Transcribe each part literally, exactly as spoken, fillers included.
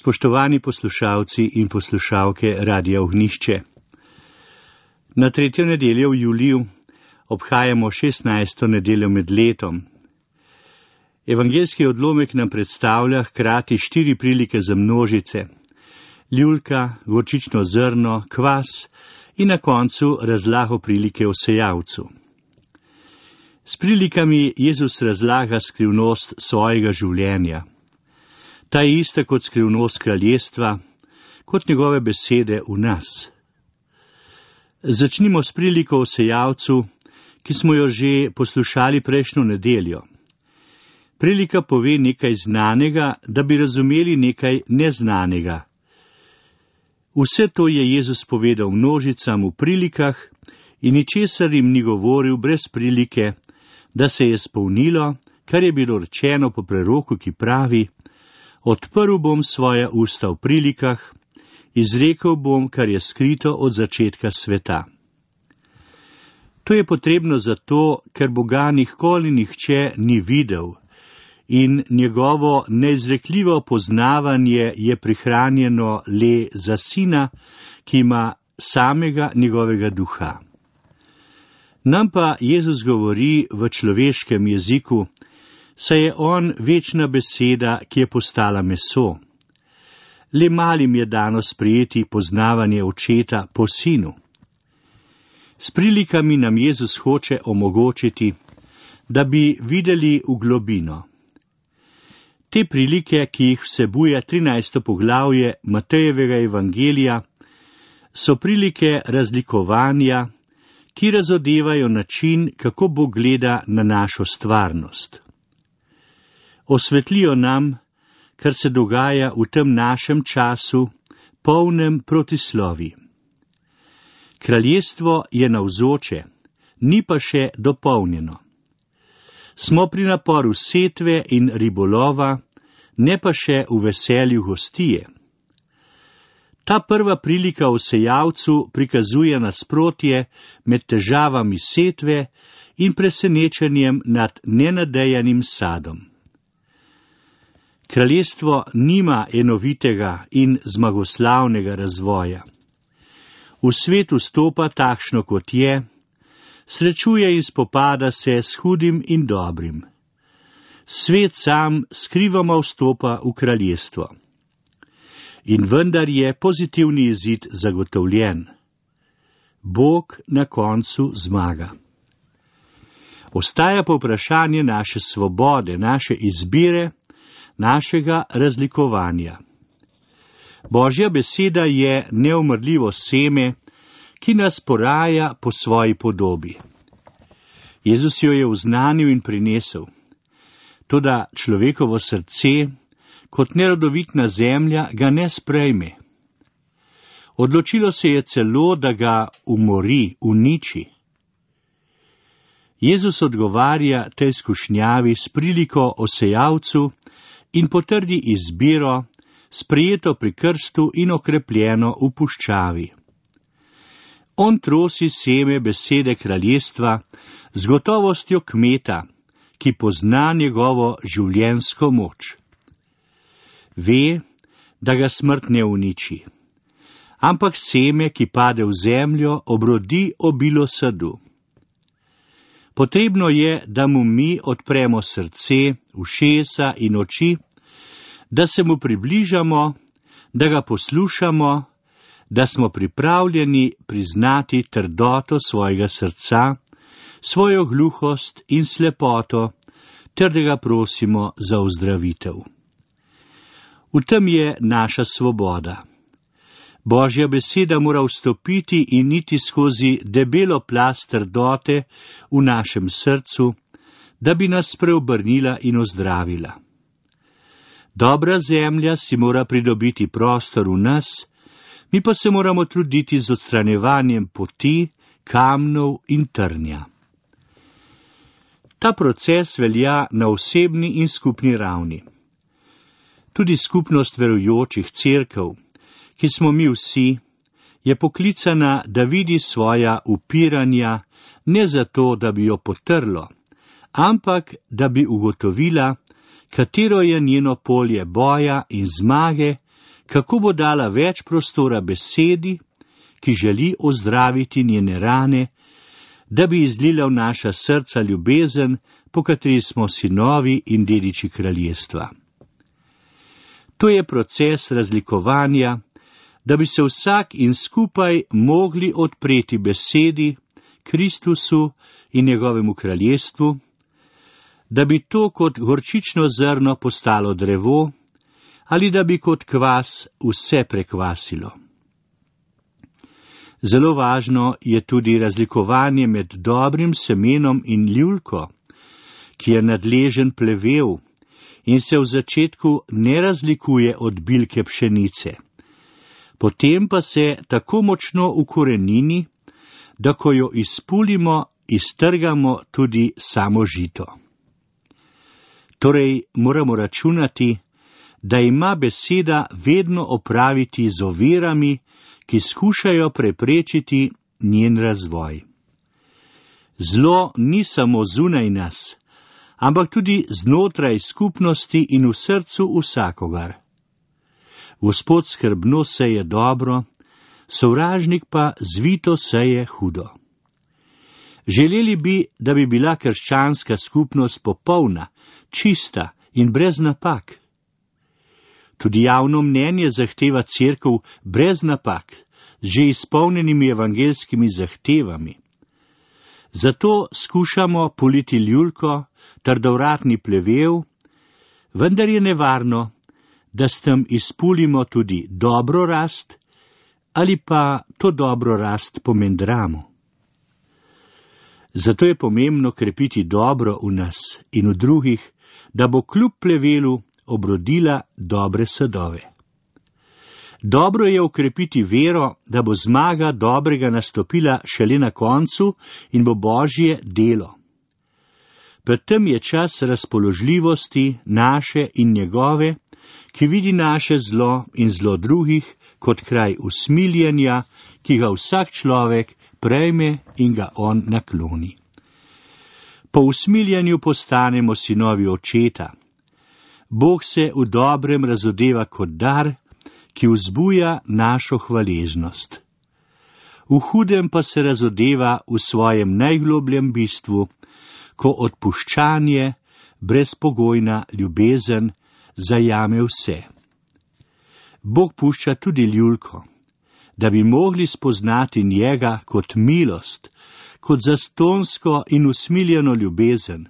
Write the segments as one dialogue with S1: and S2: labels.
S1: Spoštovani poslušalci in poslušalke Radia Ognjišče. Na tretjo nedeljo v juliju obhajamo šestnajsto nedeljo med letom. Evangeljski odlomek nam predstavlja hkrati štiri prilike za množice: ljulka, gorčično zrno, kvas in na koncu razlago prilike o sejavcu. S prilikami Jezus razlaga skrivnost svojega življenja. Ta je ista kot skrivnost kraljestva, kot njegove besede v nas. Začnimo s priliko o sejavcu, ki smo jo že poslušali prejšnjo nedeljo. Prilika pove nekaj znanega, da bi razumeli nekaj neznanega. Vse to je Jezus povedal množicam v prilikah in ničesar jim ni govoril brez prilike, da se je spolnilo, kar je bilo rečeno po preroku, ki pravi: odprl bom svoja usta v prilikah, izrekel bom, kar je skrito od začetka sveta. To je potrebno zato, ker Boga nikoli nihče ni videl in njegovo neizrekljivo poznavanje je prihranjeno le za Sina, ki ima samega njegovega duha. Nam pa Jezus govori v človeškem jeziku, saj je on večna beseda, ki je postala meso. Le malim je dano sprejeti poznavanje očeta po sinu. S prilikami nam Jezus hoče omogočiti, da bi videli v globino. Te prilike, ki jih vsebuje trinajsto poglavje Matejevega evangelija, so prilike razlikovanja, ki razodevajo način, kako Bog gleda na našo stvarnost. Osvetlijo nam, kar se dogaja v tem našem času, polnem protislovi. Kraljestvo je navzoče, ni pa še dopolnjeno. Smo pri naporu setve in ribolova, ne pa še v veselju gostije. Ta prva prilika o sejavcu prikazuje nasprotje med težavami setve in presenečenjem nad nenadejanim sadom. Kraljestvo nima enovitega in zmagoslavnega razvoja. V svet vstopa takšno, kot je, srečuje in spopada se s hudim in dobrim. Svet sam skrivoma vstopa v kraljestvo. In vendar je pozitivni izid zagotovljen. Bog na koncu zmaga. Ostaja pa vprašanje naše svobode, naše izbire, našega razlikovanja. Božja beseda je neumrljivo seme, ki nas poraja po svoji podobi. Jezus jo je oznanil in prinesel. Toda človekovo srce, kot nerodovitna zemlja, ga ne sprejme. Odločilo se je celo, da ga umori, uniči. Jezus odgovarja tej skušnjavi s priliko o sejavcu in potrdi izbiro, sprejeto pri krstu in okrepljeno v puščavi. On trosi seme besede kraljestva z gotovostjo kmeta, ki pozna njegovo življenjsko moč. Ve, da ga smrt ne uniči, ampak seme, ki pade v zemljo, obrodi obilo sadu. Potrebno je, da mu mi odpremo srce, ušesa in oči, da se mu približamo, da ga poslušamo, da smo pripravljeni priznati trdoto svojega srca, svojo gluhost in slepoto, ter da ga prosimo za ozdravitev. V tem je naša svoboda. Božja beseda mora vstopiti in iti skozi debelo plast trdote v našem srcu, da bi nas preobrnila in ozdravila. Dobra zemlja si mora pridobiti prostor v nas, mi pa se moramo truditi z odstranjevanjem poti, kamnov in trnja. Ta proces velja na osebni in skupni ravni. Tudi skupnost verujočih cerkev, ki smo mi vsi, je poklicana, da vidi svoja upiranja ne zato, da bi jo potrlo, ampak da bi ugotovila, katero je njeno polje boja in zmage, kako bo dala več prostora besedi, ki želi ozdraviti njene rane, da bi izlila v naša srca ljubezen, po kateri smo sinovi in dediči kraljestva. To je proces razlikovanja, da bi se vsak in skupaj mogli odpreti besedi, Kristusu in njegovemu kraljestvu, da bi to kot gorčično zrno postalo drevo, ali da bi kot kvas vse prekvasilo. Zelo važno je tudi razlikovanje med dobrim semenom in ljulko, ki je nadležen plevel in se v začetku ne razlikuje od bilke pšenice. Potem pa se tako močno ukorenini, da ko jo izpulimo, iztrgamo tudi samo žito. Torej moramo računati, da ima beseda vedno opraviti z ovirami, ki skušajo preprečiti njen razvoj. Zlo ni samo zunaj nas, ampak tudi znotraj skupnosti in v srcu vsakogar. Gospod skrbno seje dobro, sovražnik pa zvito seje hudo. Želeli bi, da bi bila krščanska skupnost popolna, čista in brez napak. Tudi javno mnenje zahteva cerkev brez napak, z že izpolnjenimi evangelskimi zahtevami. Zato skušamo politi ljulko, trdovratni plevel, vendar je nevarno, da s tem izpulimo tudi dobro rast ali pa to dobro rast pomendramo. Zato je pomembno krepiti dobro v nas in v drugih, da bo kljub plevelu obrodila dobre sadove. Dobro je ukrepiti vero, da bo zmaga dobrega nastopila šele na koncu in bo Božje delo. Pred tem je čas razpoložljivosti naše in njegove, ki vidi naše zlo in zlo drugih kot kraj usmiljenja, ki ga vsak človek prejme in ga on nakloni. Po usmiljenju postanemo sinovi očeta. Bog se v dobrem razodeva kot dar, ki vzbuja našo hvaležnost. V hudem pa se razodeva v svojem najglobljem bistvu, ko odpuščanje, brezpogojna ljubezen zajame vse. Bog pušča tudi ljulko, da bi mogli spoznati njega kot milost, kot zastonsko in usmiljeno ljubezen,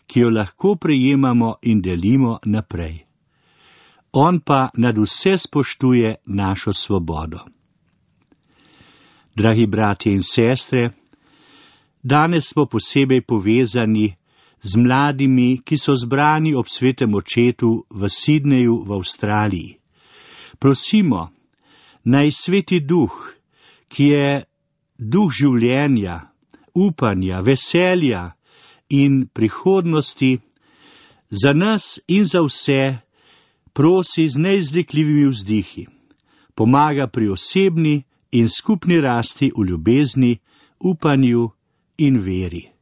S1: ki jo lahko prejemamo in delimo naprej. On pa nad vse spoštuje našo svobodo. Dragi bratje in sestre, danes smo posebej povezani z mladimi, ki so zbrani ob svetem očetu v Sidneju v Avstraliji. Prosimo, naj Sveti Duh, ki je duh življenja, upanja, veselja in prihodnosti, za nas in za vse prosi z neizrekljivimi vzdihi, pomaga pri osebni in skupni rasti v ljubezni, upanju in veri.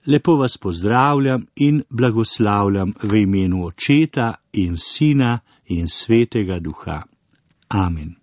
S1: Lepo vas pozdravljam in blagoslavljam v imenu Očeta in Sina in Svetega Duha. Amen.